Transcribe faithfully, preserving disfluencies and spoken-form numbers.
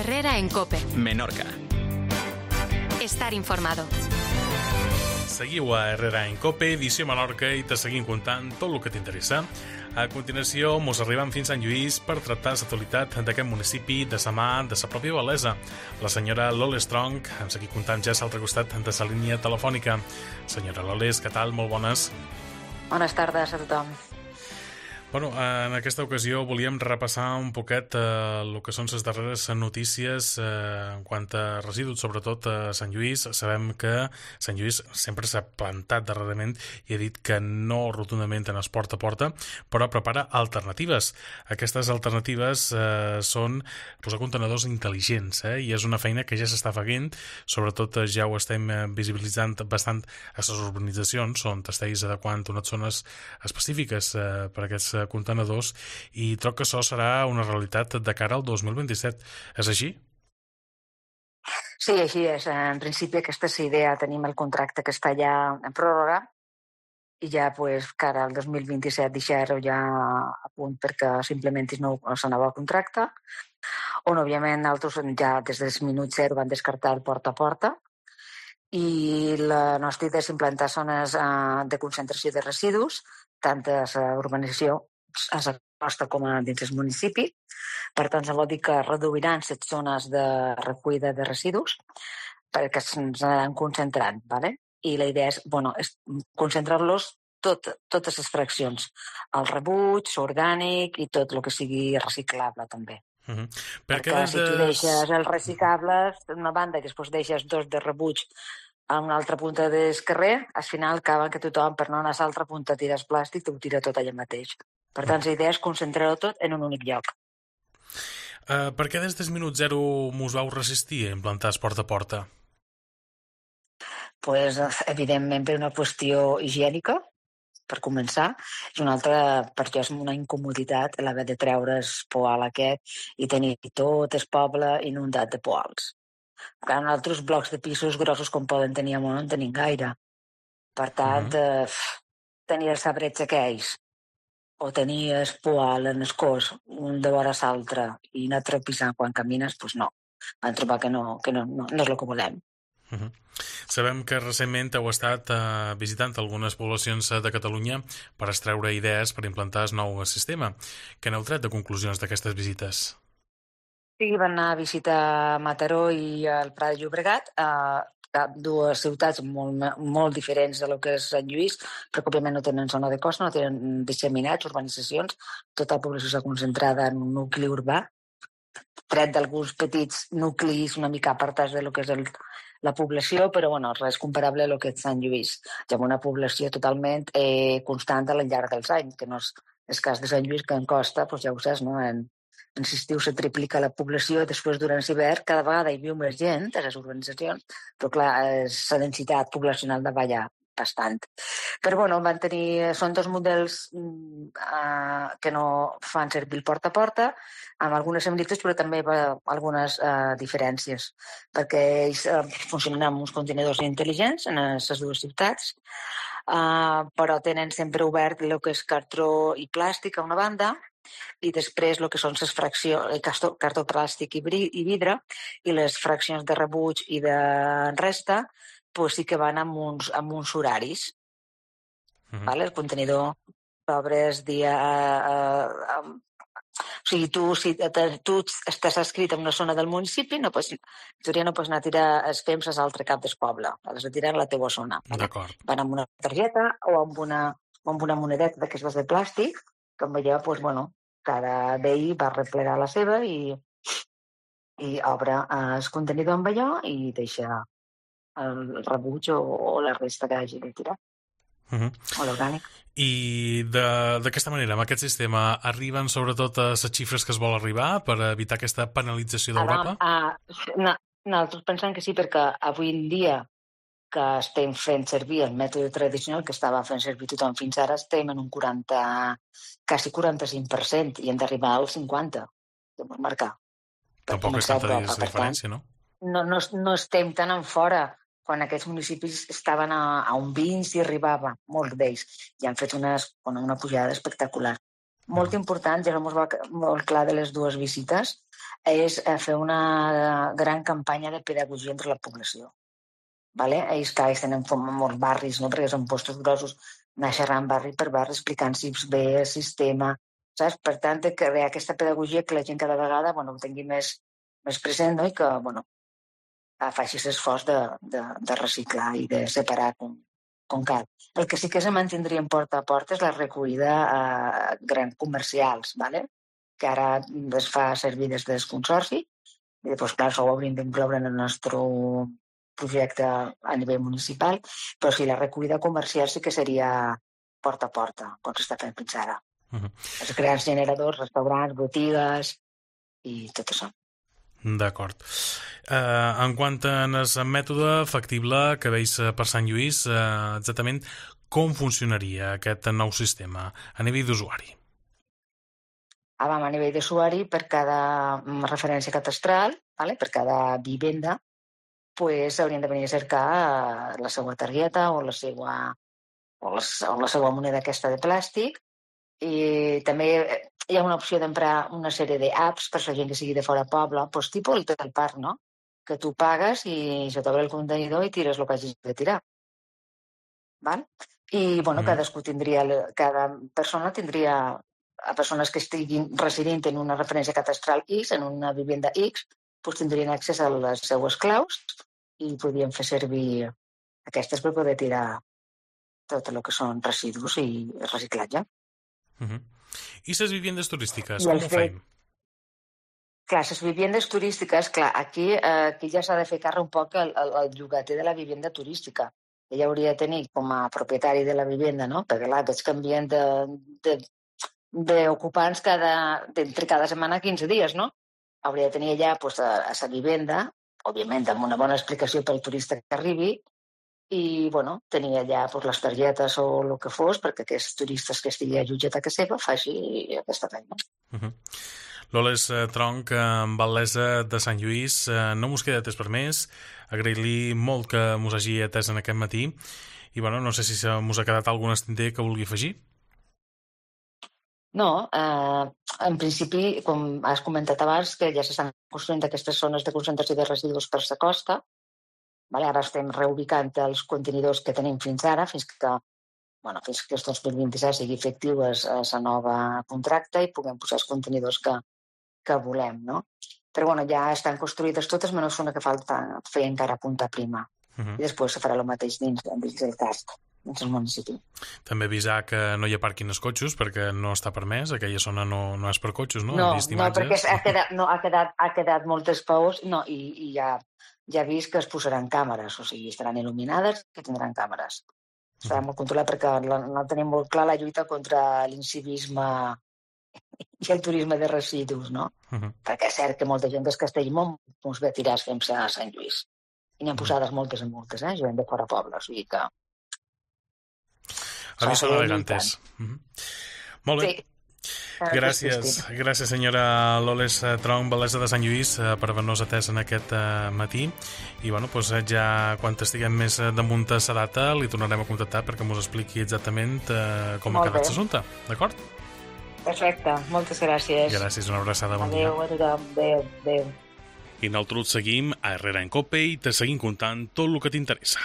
Herrera en COPE. Menorca. Estar informado. Seguiu a Herrera en COPE, edició Menorca, i te seguim contant tot el que t'interessa. A continuació, mos arribam fins a Sant Lluís per tractar l'actualitat d'aquest municipi de sa mà de sa pròpia Bel·lesa. La senyora Loles Strong ens seguim contant ja a l'altre costat de sa línia telefònica. Senyora Loles, què tal? Molt bones. Bones tardes a tothom. Bueno, en aquesta ocasió volíem repassar un poquet eh, el que són les darreres notícies eh, en quant a residus, sobretot a Sant Lluís. Sabem que Sant Lluís sempre s'ha plantat darrerament i ha dit que no rotundament en es porta a porta, però prepara alternatives. Aquestes alternatives eh, són posar contenedors intel·ligents, eh, i és una feina que ja s'està fent, sobretot eh, ja ho estem visibilitzant bastant a les urbanitzacions, on estiguis adequant unes zones específiques eh, per a aquests contenedors, i troc que això serà una realitat de cara al dos mil vint-i-set. És així? Sí, així és. En principi aquesta és la idea. Tenim el contracte que està ja en pròrroga i ja pues, cara al dos mil vint-i-set deixar-ho ja a punt perquè s'implementis nou el nou contracte, on òbviament nosaltres ja des del minut zero van descartar el porta a porta, i la nostra idea és implantar zones de concentració de residus, tant a la urbanització a la costa com a dins el municipi. Per tant, vol dir que reduiran les zones de recollida de residus perquè se'ns anaran concentrant, ¿vale? I la idea és, bueno, és concentrar-los tot, totes les fraccions, el rebuig, l'orgànic i tot el que sigui reciclable també. Uh-huh. Per perquè si tu deixes els reciclables d'una banda i després deixes dos de rebuig a una altra punta del carrer, al final acaben que tothom, per no anar a l'altra punta, tires plàstic, ho tira tot allà mateix. Per tant, la idea és concentrar-ho tot en un únic lloc. Uh, per què des del minut zero mos vau resistir a implantar el porta a porta? Pues, evidentment, per una qüestió higiènica, per començar. És una altra, per jo és una incomoditat l'haver de treure el poal aquest i tenir tot el poble inundat de poals. Clar, en altres blocs de pisos grossos com poden tenir a Món no en tenim gaire. Per tant, uh-huh. eh, tenir el sabretge que ells o tenir el poal en el cos un de vora l'altre i anar trepissant quan camines, doncs no. Vam trobar que no, que no, no, no és el que volem. Uh-huh. Sabem que recentment heu estat uh, visitant algunes poblacions de Catalunya per extreure idees per implantar el nou sistema. Què n'heu tret de conclusions d'aquestes visites? Sí, van anar a visitar Mataró i el Prat de Llobregat, eh, dues ciutats molt, molt diferents de lo que és Sant Lluís, perquè òbviament no tenen zona de costa, no tenen disseminats, urbanitzacions, tota la població està concentrada en un nucli urbà, tret d'alguns petits nuclis una mica apartats de lo que és el, la població, però bueno, res comparable a lo que és Sant Lluís. Hi ha una població totalment eh, constant al llarg dels anys, que no és el cas de Sant Lluís, que en costa, doncs ja ho saps, no? En, en l'estiu se triplica la població i després durant l'hivern cada vegada hi viu més gent a les urbanitzacions, però clar, la densitat poblacional de ballar bastant. Però bueno, van tenir, són dos models eh, que no fan servir el porta a porta, amb algunes similituds però també algunes eh, diferències, perquè ells eh, funcionen amb uns contenidors intel·ligents en les dues ciutats, eh, però tenen sempre obert el que és cartró i plàstic a una banda, i després el que són les fraccions, el cartó plàstic i vidre, i les fraccions de rebuig i de resta, pues sí que van amb uns, amb uns horaris. Uh-huh. Vale? El contenidor obres dia... Eh, eh, o sigui, tu, si tu estàs escrit en una zona del municipi, no pots, en teoria no pots anar a tirar els fems a l'altre cap del poble, has de tirar a la teua zona. D'acord. Van amb una targeta o amb una, o amb una monedeta d'aquestes de plàstic, que amb allò, doncs, bueno, cada veí va replegar la seva i, i obre el contenidor amb allò i deixa el rebuig o, o la resta que hagi de tirar. Uh-huh. O l'orgànic. I d'aquesta manera, amb aquest sistema, arriben sobretot a les xifres que es vol arribar per evitar aquesta penalització d'Europa? Ah, no, nosaltres pensem que sí, perquè avui en dia que estem fent servir el mètode tradicional que estava fent servir tothom fins ara, estem en un quaranta, quasi quaranta-cinc per cent i hem d'arribar al cinquanta per cent de marcar. Tampoc és tanta diferència, no? No, no? No estem tan en fora. Quan aquests municipis estaven a, a un vint i arribava, molts d'ells, i han fet unes, una pujada espectacular. molt uh-huh. important, ja no ens va molt clar de les dues visites, és fer una gran campanya de pedagogia entre la població. Vale? Ells, clar, ells tenen molts barris, no? Perquè són postos grossos, anar xerrant barri per barri, explicant si bé el sistema, saps? Per tant, de crear aquesta pedagogia que la gent cada vegada bueno, ho tingui més, més present, no? I que bueno, faci l'esforç de, de, de reciclar i de separar com, com cal. El que sí que se mantindria en porta a porta és la recollida a grans comercials, ¿vale? Que ara es fa servir des del Consorci, i després, clar, això ho hauríem d'incloure en el nostre projecte a nivell municipal, però sí, la recollida comercial sí que seria porta a porta, com s'està fent fins ara. Uh-huh. Els grans generadors, restaurants, botigues i tot això. D'acord. Uh, en quant a el mètode factible que veus per Sant Lluís, uh, exactament com funcionaria aquest nou sistema a nivell d'usuari? Ah, vam, a nivell d'usuari, per cada referència catastral, vale? Per cada vivenda, pues, haurien de venir a cercar la seva targeta o la seva, o la, o la seva moneda aquesta de plàstic. I també hi ha una opció d'emprar una sèrie d'apps per la gent que sigui de fora poble, pues, tipus el del parc, no? Que tu pagues i se t'obre el contenidor i tires el que hagis de tirar. Val? I, bueno, mm. cadascú tindria, cada persona tindria, a persones que estiguin residint en una referència catastral X, en una vivenda X, doncs tindrien accés a les seues claus i podien fer servir aquestes per poder tirar tot el que són residus i reciclatge. Uh-huh. I les vivendes turístiques, com ho fem? Clar, les vivendes turístiques, clar, aquí, eh, aquí ja s'ha de fer càrrec un poc el, el, el llogater de la vivenda turística. Ella hauria de tenir com a propietari de la vivenda, no? Perquè clar, aquests canvien de, de, d'ocupants cada, entre cada setmana quinze dies, no? Hauria de tenir allà pues, a, a sa vivenda, òbviament amb una bona explicació pel turista que arribi, i bueno, tenir allà pues, les targetes o el que fos perquè aquests turistes que estigui allotjat a casa seva faci aquesta feina. Uh-huh. Loles Tronch, batllessa de Sant Lluís, no mos queda temps per més. Agrair-li molt que mos hagi atès en aquest matí i bueno, no sé si mos ha quedat algun estinter que vulgui afegir. No, eh, en principi, com has comentat abans, que ja s'estan construint aquestes zones de concentració de residus per la costa. Vale, ara estem reubicant els contenidors que tenim fins ara, fins que, bueno, fins que el dos mil vint-i-set sigui efectiu a la nova contracte i puguem posar els contenidors que, que volem, no? Però bueno, ja estan construïdes totes, menys una que falta fer encara punta prima. Uh-huh. I després se farà el mateix dins, dins del cast. dins el municipi. També avisar que no hi ha pàrquing als cotxos perquè no està permès, aquella zona no, no és per cotxos, no? No, no perquè ha quedat, no, ha, quedat, ha quedat moltes paus no, i, i ja, ja he vist que es posaran càmeres, o sigui, estaran il·luminades que tindran càmeres. Estarà molt controlat perquè no tenim molt clar la lluita contra l'incivisme i el turisme de residus, no? Uh-huh. Perquè és cert que molta gent del Castellmont doncs ve a tirar fem-se a Sant Lluís. I n'hi ha posades uh-huh. moltes i moltes, eh? Gent de fora poble, o sigui que... A mi són elegantes. Uh-huh. Molt bé. Sí. Gràcies, gràcies senyora Loles Tronch, batllessa de Sant Lluís, per haver-nos atès en aquest matí. I bueno, doncs ja quan estiguem més damunt a la data li tornarem a contactar perquè ens expliqui exactament com ha quedat l'assumpte. D'acord? Perfecte, moltes gràcies. Gràcies, una abraçada, bon dia. Adéu a tothom, adéu, adéu. I nosaltres seguim a Herrera en Cope i te seguim contant tot el que t'interessa.